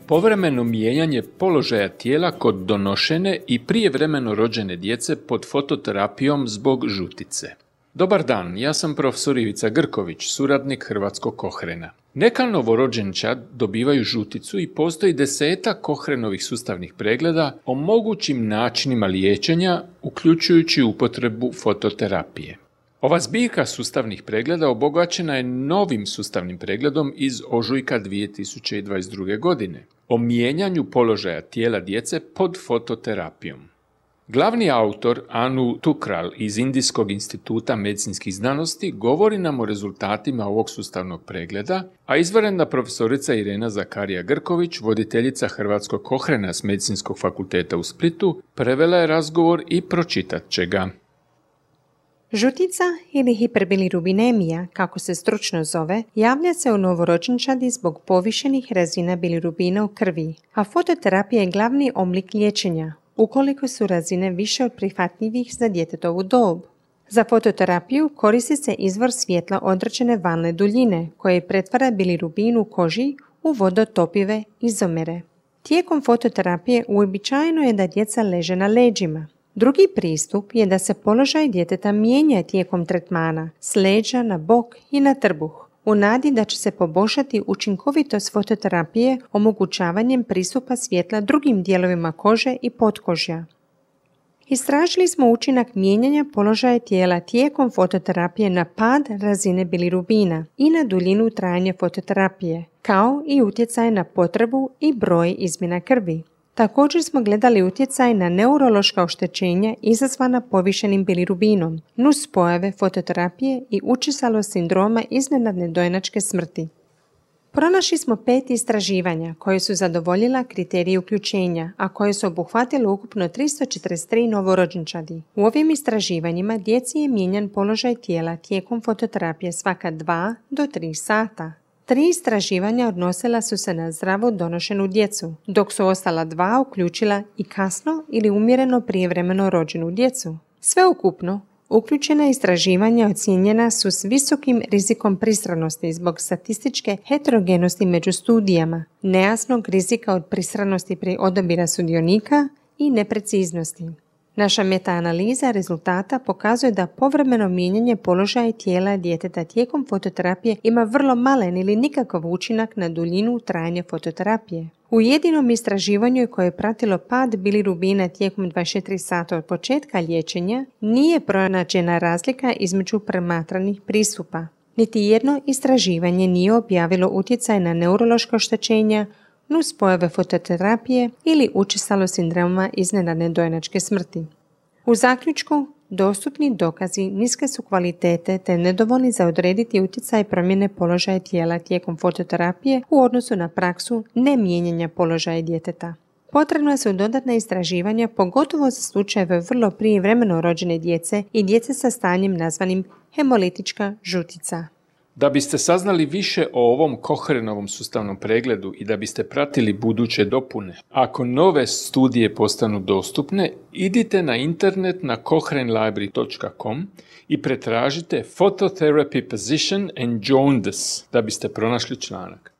Povremeno mijenjanje položaja tijela kod donošene i prijevremeno rođene djece pod fototerapijom zbog žutice. Dobar dan, ja sam profesor Ivica Grković, suradnik Hrvatskog Kohrena. Neka novorođenčad dobivaju žuticu i postoji 10 Kohrenovih sustavnih pregleda o mogućim načinima liječenja, uključujući upotrebu fototerapije. Ova zbirka sustavnih pregleda obogaćena je novim sustavnim pregledom iz ožujka 2022. godine o mijenjanju položaja tijela djece pod fototerapijom. Glavni autor Anu Thukral iz Indijskog instituta medicinskih znanosti govori nam o rezultatima ovog sustavnog pregleda, a izvanredna profesorica Irena Zakarija Grković, voditeljica Hrvatskog Kohrena s Medicinskog fakulteta u Splitu, prevela je razgovor i pročitat će ga. Žutica ili hiperbilirubinemija, kako se stručno zove, javlja se u novorođenčadi zbog povišenih razina bilirubina u krvi, a fototerapija je glavni oblik liječenja, ukoliko su razine više od prihvatljivih za djetetovu dob. Za fototerapiju koristi se izvor svjetla određene valne duljine, koje pretvara bilirubin u koži u vodotopive izomere. Tijekom fototerapije uobičajeno je da djeca leže na leđima. Drugi pristup je da se položaj djeteta mijenja tijekom tretmana s leđa na bok i na trbuh, u nadi da će se poboljšati učinkovitost fototerapije omogućavanjem pristupa svjetla drugim dijelovima kože i potkožja. Istražili smo učinak mijenjanja položaja tijela tijekom fototerapije na pad razine bilirubina i na duljinu trajanja fototerapije, kao i utjecaj na potrebu i broj izmjena krvi. Također smo gledali utjecaj na neurološka oštećenja izazvana povišenim bilirubinom, nuspojave fototerapije i učestalost sindroma iznenadne dojenačke smrti. Pronašli smo 5 istraživanja koje su zadovoljila kriterije uključenja, a koje su obuhvatile ukupno 343 novorođenčadi. U ovim istraživanjima djeci je mijenjan položaj tijela tijekom fototerapije svaka 2 do 3 sata. 3 istraživanja odnosila su se na zdravo donošenu djecu, dok su ostala 2 uključila i kasno ili umjereno prijevremeno rođenu djecu. Sveukupno, uključena istraživanja ocijenjena su s visokim rizikom pristranosti zbog statističke heterogenosti među studijama, nejasnog rizika od pristranosti pri odabira sudionika i nepreciznosti. Naša metaanaliza rezultata pokazuje da povremeno mijenjanje položaja tijela djeteta tijekom fototerapije ima vrlo malen ili nikakav učinak na duljinu trajanja fototerapije. U jedinom istraživanju koje je pratilo pad bilirubina tijekom 24 sata od početka liječenja nije pronađena razlika između promatranih pristupa. Niti jedno istraživanje nije objavilo utjecaj na neurološka oštećenja, nuspojave fototerapije ili učestalost sindroma iznenadne dojenačke smrti. U zaključku, dostupni dokazi niske su kvalitete te nedovoljni za odrediti utjecaj promjene položaja tijela tijekom fototerapije u odnosu na praksu nemijenjanja položaja djeteta. Potrebna su dodatna istraživanja, pogotovo za slučajeve vrlo prijevremeno rođene djece i djece sa stanjem nazvanim hemolitička žutica. Da biste saznali više o ovom Kohrenovom sustavnom pregledu i da biste pratili buduće dopune, ako nove studije postanu dostupne, idite na internet na kohrenlibrary.com i pretražite Phototherapy Position and Jaundice da biste pronašli članak.